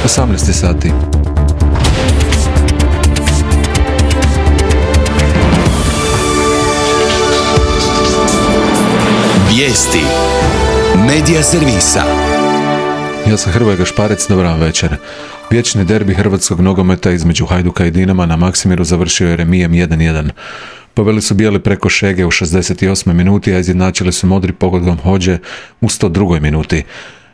18 sati. Vijesti Medija servisa. Ja sam Hrvoje Gašparec, dobar vam večer. Vječni derbi hrvatskog nogometa između Hajduka i Dinama na Maksimiru završio je remijem 1-1. Poveli su bijeli preko Šege u 68. minuti, a izjednačili su modri pogodom Hođe u 102. minuti.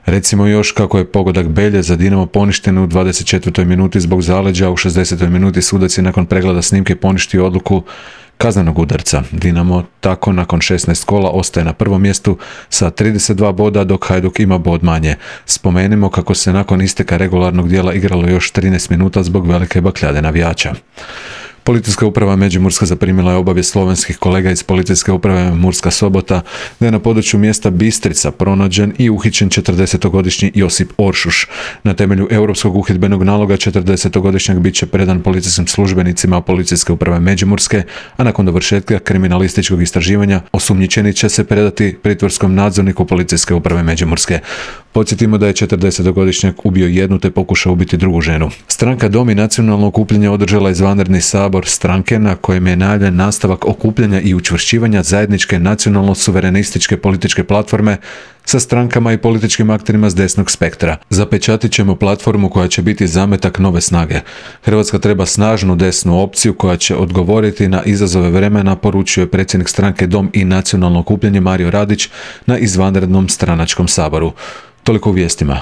Recimo još kako je pogodak Belje za Dinamo poništen u 24. minuti zbog zaleđa, u 60. minuti sudac je nakon pregleda snimke poništio odluku kaznenog udarca. Dinamo tako nakon 16 kola ostaje na prvom mjestu sa 32 boda, dok Hajduk ima bod manje. Spomenimo kako se nakon isteka regularnog dijela igralo još 13 minuta zbog velike bakljade navijača. Policijska uprava Međimurska zaprimila je obavijest slovenskih kolega iz Policijske uprave Murska Sobota da je na području mjesta Bistrica pronađen i uhićen 40-godišnji Josip Oršuš. Na temelju europskog uhidbenog naloga 40-godišnjak bit će predan policijskim službenicima Policijske uprave Međimurske, a nakon dovršetka kriminalističkog istraživanja osumnjičeni će se predati pritvorskom nadzorniku Policijske uprave Međimurske. Podsjetimo da je 40-godišnjak ubio jednu te pokušao ubiti drugu ženu. Stranka Dom i nacionalno okupljanje održala izvanredni sabor stranke na kojem je najavljen nastavak okupljanja i učvršćivanja zajedničke nacionalno-suverenističke političke platforme sa strankama i političkim akterima s desnog spektra. Zapečatit ćemo platformu koja će biti zametak nove snage. Hrvatska treba snažnu desnu opciju koja će odgovoriti na izazove vremena, poručio je predsjednik stranke Dom i nacionalno okupljanje Mario Radić na izvanrednom stranačkom saboru. Toliko u vijestima.